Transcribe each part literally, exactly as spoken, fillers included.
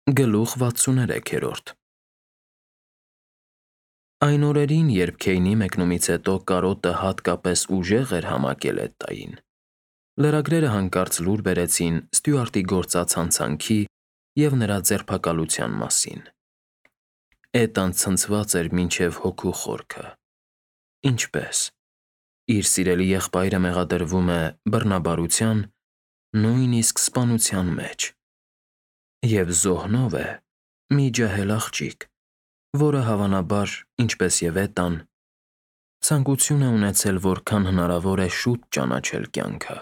Գլուխ վաթսուներեքերորդ Այն օրերին, երբ Քեյնի մեկնումից հետո կարոտը հատկապես ուժեղ էր համակել Էդտային, լրագրերը հանկարծ լուր բերեցին Ստյուարտի գործած հանցանքի և նրա ձերբակալության մասին։ Էդտան ցնցված էր մինչև հոգու խորքը։ Ինչպե՞ս։ Իր սիրելի եղբայրը մեղադրվում է բռնաբարության, նույնիսկ սպանության մեջ։ Եվ զոհնով է մի ջահել աղջիկ, որը հավանաբար, ինչպես և Էդտան, ցանկություն է ունեցել որքան հնարավոր է շուտ ճանաչել կյանքը։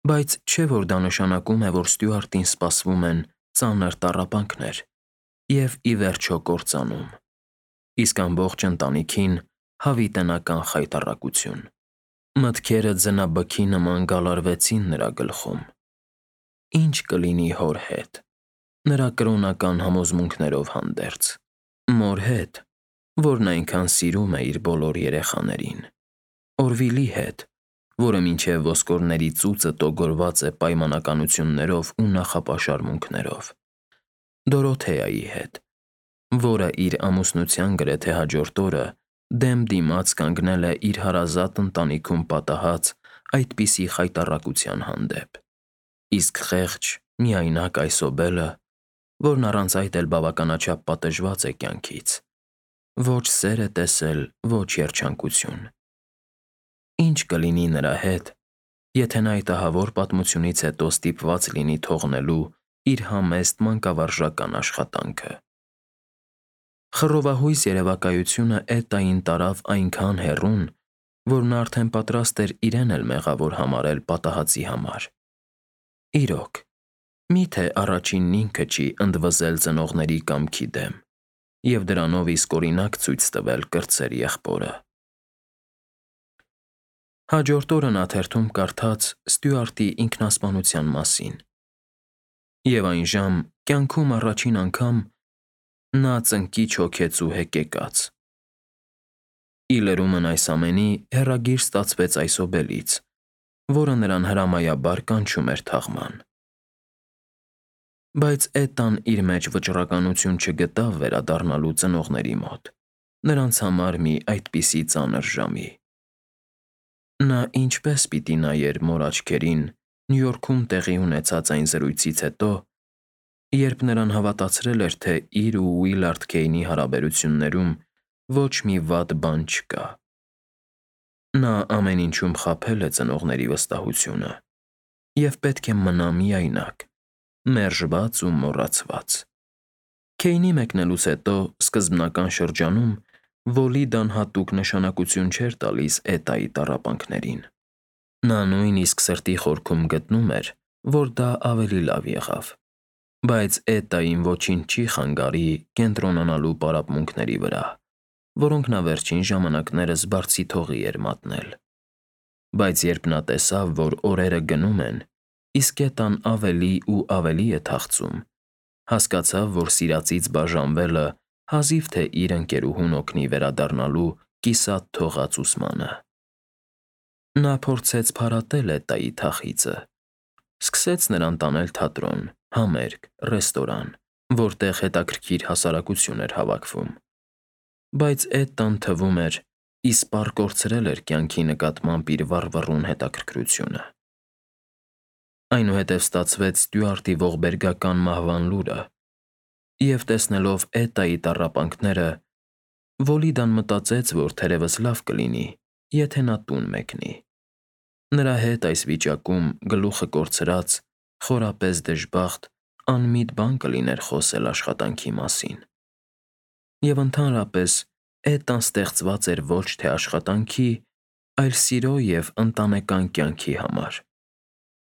Բայց չէ՞ որ դա նշանակում է, որ Ստյուարտին սպասվում են ծանր տառապանքներ և, ի վերջո, կործանում, իսկ ամբողջ ընտանիքին հավիտենական խայտառակություն։ Մտքերը ձնաբքի նման գալարվեցին նրա գլխում։ Ի՞նչ կլինի հոր հետ, նրա կրոնական համոզմունքներով հանդերձ, մոր հետ, որն այնքան սիրում է իր բոլոր երեխաներին, Օրվիլի հետ, որը մինչև ոսկորների ծուծը տոգորված է պայմանականություններով ու նախապաշարմունքներով, Դորոթեայի հետ, որը իր ամուսնության գրեթե հաջորդ օրը դեմ դիմաց կանգնել է իր հարազատ ընտանիքում պատահած այդպիսի խայտառակության հանդեպ, իսկ խեղճ, միայնակ Այսոբելը, որն առանց այդ էլ բավականաչափ պատժված է կյանքից, ոչ սեր է տեսել, ոչ երջանկություն։ Ի՞նչ կլինի նրա հետ, եթե նա այդ ահավոր պատմությունից հետո ստիպված լինի թողնելու իր համեստ մանկավարժական աշխատանքը։ Խռովահույս երևակայությունը Էդտային տարավ այնքան հեռուն, որ նա արդեն պատրաստ էր իրեն էլ մեղավոր համարել պատահածի համար։ Իրոք, մի՞թե առաջինն ինքը չի ընդվզել ծնողների կամքի դեմ և դրանով իսկ օրինակ ցույց տվել կրտսեր եղբորը։ Հաջորդ օրը նա թերթում կարդաց Ստյուարտի ինքնասպանության մասին։ Եվ այն ժամ կյանքում առաջին անգամ նա ծնկիչ հոգեց ու հեկեկաց։ Ի լրումն այս ամենի հեռագիր ստացվեց Այսոբելից, որը նրան հրամայաբար կանչում էր թաղման։ Բայց Էդտան իր մեջ վճռականություն չգտավ վերադառնալու ծնողների մոտ, նրանց համար մի այդպիսի ծանր ժամի։ Նա ինչպե՞ս պիտի նայեր մոր աչքերին Նյու Յորքում տեղի ունեցած այն զրույցից հետո, երբ նրան հավատացրել էր, թե իր ու Ուիլարդ Քեյնի հարաբերություններում ոչ մի վատ բան չկա։ Նա ամեն ինչում խաբել է ծնողների վստահությունը և պետք է մնա միայնակ, մերժված ու մոռացված։ Քեյնի մեկնելուց հետո սկզբնական շրջանում Վոլիդան հատուկ նշանակություն չէր տալիս Էդտայի տառապանքներին։ Նա նույնիսկ սրտի խորքում գտնում էր, որ դա ավելի լավ եղավ։ Բայց Էդտային ոչինչ չի խանգարի կենտրոնանալու պարապմունքների վրա, որոնք նա վերջին ժամանակներս բարձիթողի էր մատնել։ Բայց երբ նա տեսավ, որ օրերը գնում են, իսկ Էդտան ավելի ու ավելի է թախծում, հասկացավ, որ սիրածից բաժանվելը հազիվ թե իր ընկերուհուն օգնի վերադառնալու կիսատ թողած ուսմանը։ Նա փորձեց փարատել Էդտայի թախիծը, սկսեց նրան տանել թատրոն, համերգ, ռեստորան, որտեղ հետաքրքիր հասարակություն էր հավաքվում։ Բայց Էդտան, թվում էր, իսպառ կորցրել էր կյանքի նկատմամբ իր վառվռուն հետաքրքրությունը։ Այնուհետև ստացվեց Ստյուարտի ողբերգական մահվան լուրը, և տեսնելով Էդտայի տառապանքները, Վոլիդան մտածեց, որ թերևս լավ կլինի, եթե նա տուն մեկնի։ Նրա հետ այս վիճակում գլուխը կորցրած, խորապես դժբախտ, անմիտ բան կլիներ խոսել աշխատանքի մասին։ Եվ ընդհանրապես Էդտան ստեղծված էր ոչ թե աշխատանքի, այլ սիրո և ընտանեկան կյանքի համար։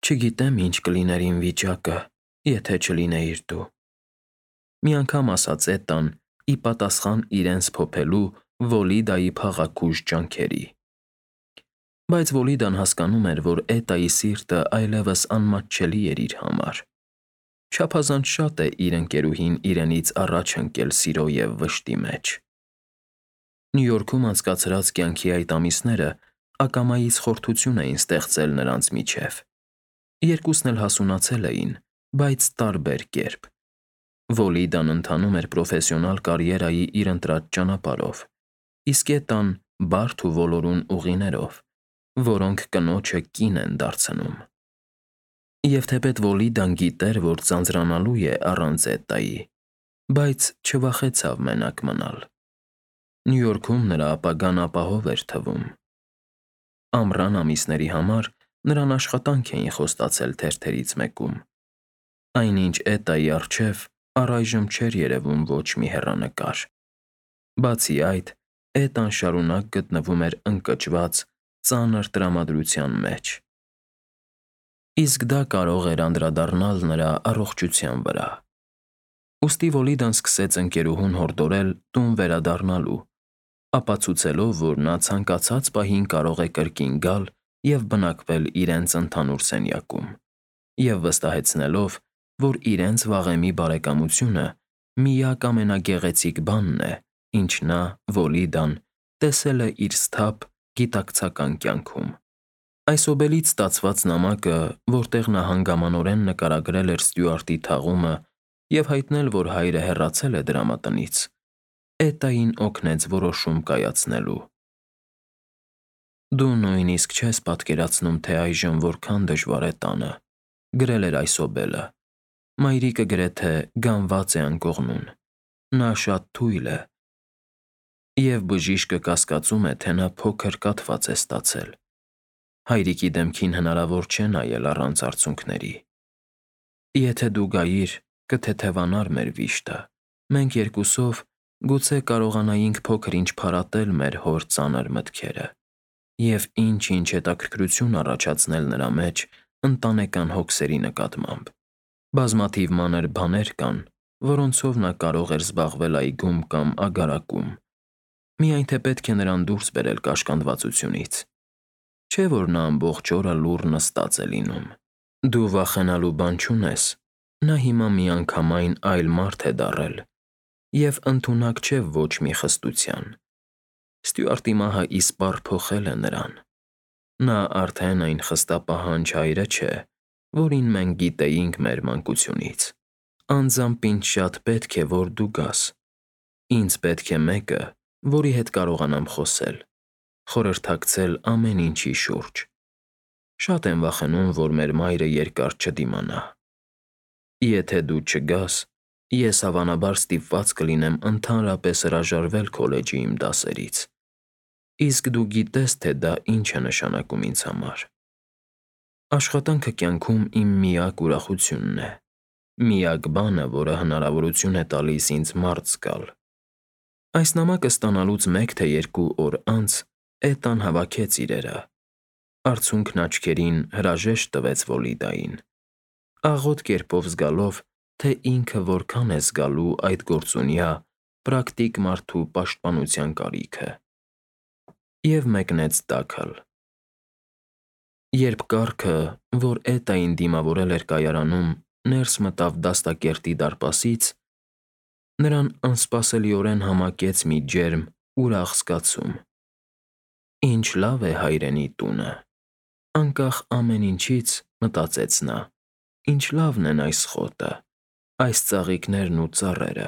Չգիտեմ՝ ինչ կլիներ իմ վիճակը, եթե չլինեիր դու, մի անգամ ասաց Էդտան՝ ի պատասխան իրենց փոփելու Վոլիդայի փաղաքուժ ջանքերի։ Բայց Վոլիդան հասկանում էր, որ Էդտայի սիրտը այլևս անմատչելի էր իր համար։ Չափազանց շատ է իր ընկերուհին իրենից առաջ ընկել սիրո և վշտի մեջ։ Նյու Յորքում անցկացրած կյանքի այդ ամիսները ակամայից խորթություն էին ստեղծել նրանց միջև։ Երկուսն էլ հասունացել էին, բայց տարբեր կերպ։ Վոլիդան ընթանում էր պրոֆեսիոնալ կարիերայի իր ընտրած ճանապարհով, իսկ Էտան բարդ ու ոլորուն ուղիներով, որոնք կնոջը կին են դարձնում։ Եվ թեպետ Վոլիդան գիտեր, որ ձանձրանալու է առանց Էտայի, բայց չվախեցավ մենակ մնալ։ Նյու Յորքում նրա ապագան ապահով էր թվում։ Ամռան ամիսների համար նրան աշխատանք էին խոստացել թերթերից մեկում։ Այնինչ Էտայի առջև առայժմ չէր երևում ոչ մի հեռանկար։ Բացի այդ, Էտան շարունակ գտնվում էր ընկճված, ծանր տրամադրության մեջ։ Իսկ դա կարող էր անդրադառնալ նրա առողջության վրա։ Ուստի Վոլիդան սկսեց ընկերուհուն հորդորել տուն վերադառնալու, ապացուցելով, որ նա ցանկացած պահին կարող է կրկին գալ և բնակվել իրենց ընդհանուր սենյակում, և վստահեցնելով, որ իրենց վաղեմի բարեկամությունը միակ ամենագեղեցիկ բանն է, ինչ նա, Վոլիդան, տեսել է իր սթափ գիտակցական կյանքում։ Այսօբելից ստացված նամակը, որտեղ նա հանգամանորեն նկարագրել էր Ստյուարտի թաղումը և հայտնել, որ հայրը հեռացել է դրամատնից, Էտային օգնեց որոշում կայացնելու։ «Դու նույնիսկ չես պատկերացնում, թե այժմ որքան դժվար է տանը», գրել էր այսօբելը։ Մայրիկը գրեթե գանված է անկողնում։ Նա շատ թույլ է։ Եվ բժիշկը կասկածում է, թե նա փոքր կաթված է ստացել։ Հայրիկի դեմքին հնարավոր չէ նայել առանց արցունքների։ Եթե դու գայիր, կթեթևանար մեր վիշտը։ Մենք երկուսով գուցե կարողանայինք փոքր-ինչ փարատել մեր հոր ծանր մտքերը և ինչ-ինչ հետաքրքրություն առաջացնել նրա մեջ ընտանեկան հոգսերի նկատմամբ։ Բազմաթիվ մանր բաներ կան, որոնցով նա կարող էր զբաղվել այգում կամ ագարակում, միայն թե պետք է նրան դուրս բերել կաշկանդվածությունից։ Չէ՞ որ նա ամբողջ օրը լուռ նստած է լինում։ Դու վախենալու բան չունես, նա հիմա միանգամայն այլ մարդ է դառել և ընդունակ չէ ոչ մի խստության։ Ստյուարտի մահը իսպառ փոխել է նրան։ Նա արդեն այն խստապահանջ հայրը չէ, որին մենք գիտեինք մեր մանկությունից։ Անձամբ ինձ շատ պետք է, որ դու գաս։ Ինձ պետք է մեկը, որի հետ կարողանամ խոսել, խորհրդակցել ամեն ինչի շուրջ։ Շատ եմ վախենում, որ մեր մայրը երկար չդիմանա։ Եթե դու չգաս, ես հավանաբար ստիպված կլինեմ ընդհանրապես հրաժարվել քոլեջի իմ դասերից, իսկ դու գիտես, թե դա ինչ է նշանակում ինձ համար։ Աշխատանքը կյանքում իմ միակ ուրախությունն է, միակ բանը, որը հնարավորություն է տալիս ինձ մարդ զգալ։ Այս նամակը ստանալուց մեկ թե երկու օր անց Էտան հավաքեց իրերը։ Արցունքն աչքերին հրաժեշտ տվեց Վոլիդային, աղոտ կերպով զգալով, թե ինքը որքան է զգալու այդ գործունյա, պրակտիկ մարդու պաշտպանության կարիքը, և մեկնեց Դաքլ։ Երբ կառքը, որ Էտային դիմավորել էր կայարանում, ներս մտավ դաստակերտի դարպասից, նրան անսպասելիորեն համակեց մի ջերմ, ուրախ զգացում։ Ինչ լավ է հայրենի տունը։ Անկախ ամեն ինչից, մտածեց նա, ինչ լավն են այս խոտը, այս ծաղիկներն ու ծառերը,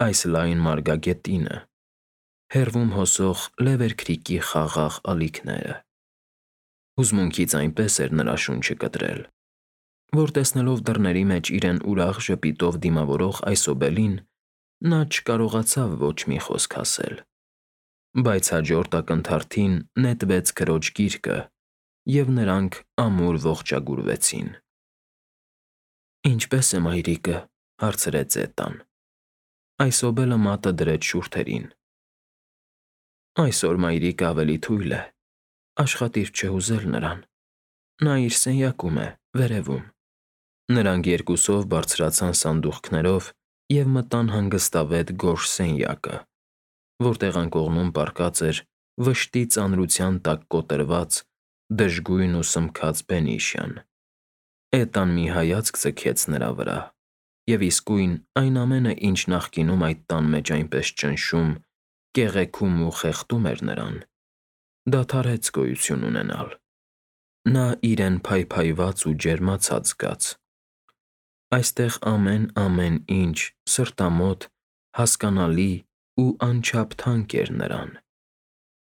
այս լայն մարգագետինը, հեռվում հոսող Լևերքրիքի խաղաղ ալիքները։ Հուզմունքից այնպես էր նրա շունչը կտրել, որ տեսնելով դռների մեջ իրեն ուրախ ժպիտով դիմավորող այսօբելին, նա չկարողացավ ոչ մի խոսք ասել։ Բայց հաջորդ ակնթարթին նետվեց քրոջ գիրկը, և նրանք ամուր ողջագուրվեցին։ «Ինչպե՞ս է մայրիկը», հարցրեց Էտան։ Այսօբելը մատը դրեց շուրթերին։ «Այսօր մայրիկը ավելի թույլ է, աշխատիր չհուզել նրան։ Նա իր սենյակում է, վերևում»։ Նրանք երկուսով բարձրացան սանդուղքներով և մտան հանգստավետ գորշ սենյակը, որտեղ անկողնում պառկած էր վշտի ծանրության տակ կոտրված, դժգույն ու սմքած բենիշյան։ Էտան մի հայացք ձգեց նրա վրա, և իսկույն այն ամենը, ինչ նախկինում այդ տան մեջ այնպես ճնշում, կեղեքում ու խեղդում էր նրան, դադարեց գոյություն ունենալ։ Նա իրեն փայփայված ու ջերմացած զգաց։ Այստեղ ամեն-ամեն ինչ սրտամոտ, հասկանալի ու անչափ թանկ էր նրան.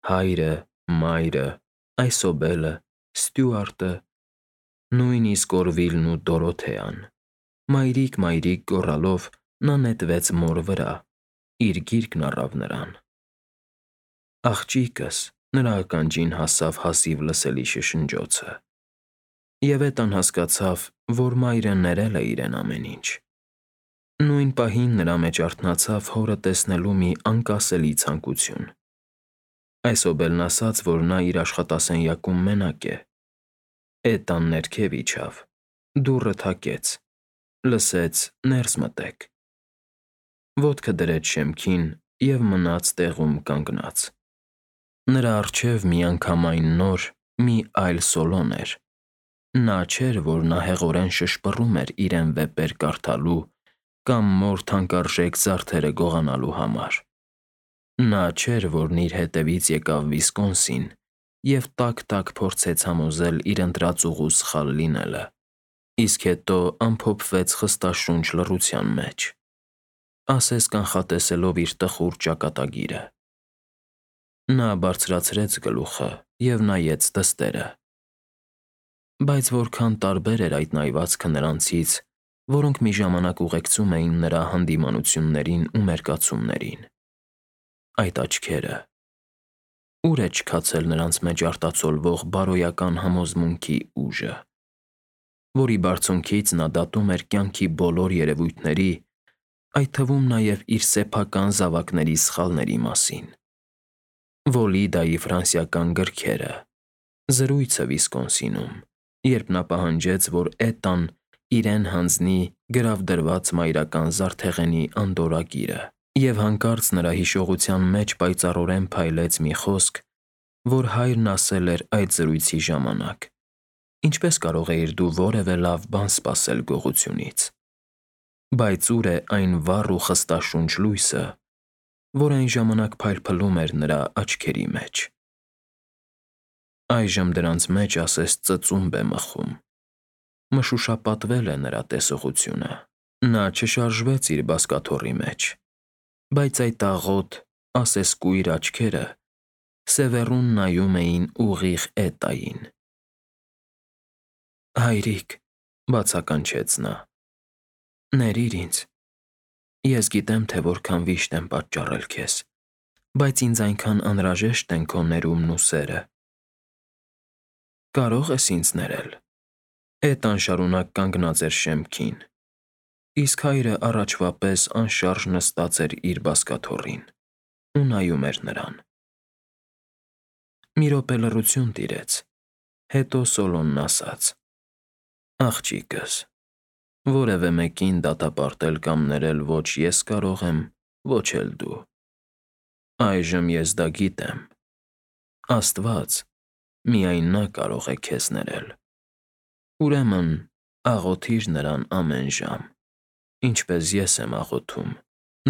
հայրը, մայրը, Այսոբելը, Ստյուարտը, նույնիսկ Օրվիլն ու Դորոթեան։ Մայրիկ, մայրիկ գոռալով նա նետվեց մոր վրա, իր գիրկն առավ նրան։ Աղջիկս, նրա ականջին հասավ հազիվ լսելի շշնջոցը։ Եվ Էտան հասկացավ, որ մայրը ներել է իրեն ամեն ինչ։ Նույն պահին նրա մեջ արթնացավ հորը տեսնելու մի անկասելի ցանկություն։ Այսոբելն ասաց, որ նա իր աշխատասենյակում մենակ է։ Էտան ներքև իջավ, դուռը թակեց, լսեց «ներս մտեք»։ Ոտքը դրեց շեմքին և մնաց տեղում կանգնած։ Նրա առջև միանգամայն նոր մի այլ Սոլոն էր։ Նա չէր, որ նա հեղորեն շշպռում էր իրեն վեպեր կարդալու կամ մոր թանկարժեք զարդերը գողանալու համար։ Նա չէր, որն իր հետևից եկավ Վիսկոնսին և տաք-տաք փորձեց համոզել իր ընտրած ուղու սխալ լինելը, իսկ հետո ամփոփվեց խստաշունչ լռության մեջ, ասես կանխատեսելով իր տխուր ճակատագիրը։ Նա բարձրացրեց գլուխը և նայեց դստերը։ Բայց որքան տարբեր էր այդ նայվածքը նրանցից, որոնք մի ժամանակ ուղեկցում էին նրա հանդիմանություններին ու մերկացումներին։ Այդ աչքերը… Ուր է չքացել նրանց մեջ արտացոլվող բարոյական համոզմունքի ուժը, որի բարձունքից նա դատում էր կյանքի բոլոր երևույթների, այդ թվում նաև իր սեփական զավակների սխալների մասին։ Վոլիդայի ֆրանսիական գրքերը, զրույցը Վիսկոնսինում, երբ նա պահանջեց, որ Էտան իրեն հանձնի գրավդրված մայրական զարդեղենի անդորրագիրը, և հանկարծ նրա հիշողության մեջ պայծառորեն փայլեց մի խոսք, որ հայրն ասել էր այդ զրույցի ժամանակ. «Ինչպես կարող էիր դու որևէ լավ բան սպասել գողությունից»։ Բայց ուր է այն վառ ու խստաշունչ լույսը, որ այն ժամանակ փայլփլում էր նրա աչքերի մեջ։ Այժմ դրանց մեջ ասես ծծումբ է մխում։ Մշուշապատվել է նրա տեսողությունը։ Նա չշարժվեց իր բազկաթոռի մեջ, բայց այդ աղոտ, ասես կույր աչքերը սևեռուն նայում էին ուղիղ Էտային։ «Հայրիկ», բացականչեց նա, «ների՛ր ինձ։ Ես գիտեմ, թե որքան վիշտ եմ պատճառել քեզ, բայց ինձ այնքան անհրաժեշտ են քո ներումն ու սերը։ Կարո՞ղ ես ինձ ներել»։ Էտան շարունակ կանգնած էր շեմքին, իսկ հայրը առաջվա պես անշարժ նստած էր իր բազկաթոռին ու նայում էր նրան։ Մի րոպե լռություն տիրեց, հետո Սոլոնն ասաց. «Աղջիկս, որևէ մեկին դատապարտել կամ ներել ոչ ես կարող եմ, ոչ էլ դու։ Այժմ ես դա գիտեմ։ Աստված, միայն Նա կարող է քեզ ներել։ Ուրեմն աղոթի՛ր Նրան ամեն ժամ, ինչպես ես եմ աղոթում»։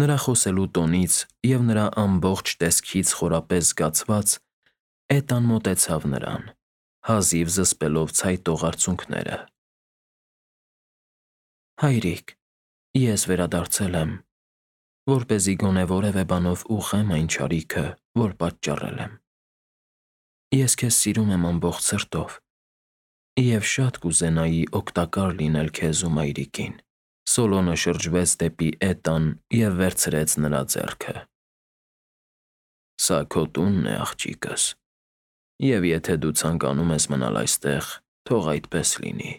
Նրա խոսելու տոնից և նրա ամբողջ տեսքից խորապես զգացված, Էտան մոտեցավ նրան, հազիվ զսպելով ցայտող արցունքները։ «Հայրիկ, ես վերադարձել եմ, որպեսզի գոնե որևէ բանով ուղղեմ այն չարիքը, որ պատճառել եմ։ Ես քեզ սիրում եմ ամբողջ սրտով և շատ կուզենայի օգտակար լինել քեզ ու մայրիկին»։ Սոլոնը շրջվեց դեպի Էտան և վերցրեց նրա ձեռքը։ «Սա քո տունն է, աղջիկս, և եթե դու ցանկանում ես մնալ այստեղ, թող այդպես լինի»։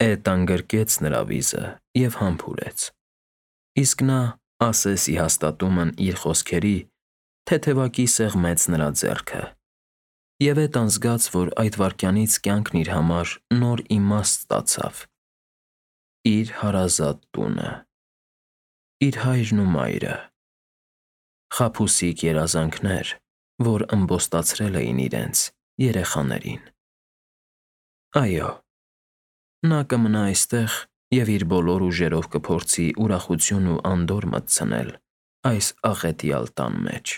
Էտան գրկեց նրա վիզը և համբուրեց, իսկ նա, ասես ի հաստատումն իր խոսքերի, թեթևակի սեղմեց նրա ձեռքը։ Եվ Էտան զգաց, որ այդ վայրկյանից կյանքն իր համար նոր իմաստ ստացավ։ Իր հարազատ տունը, իր հայրն ու մայրը, խաբուսիկ երազանքներ, որ ըմբոստացրել էին իրենց երեխաներին։ Այո, նա կմնա այստեղ և իր բոլոր ուժերով կփորձի ուրախություն ու անդորր մտցնել այս աղետյալ տան մեջ։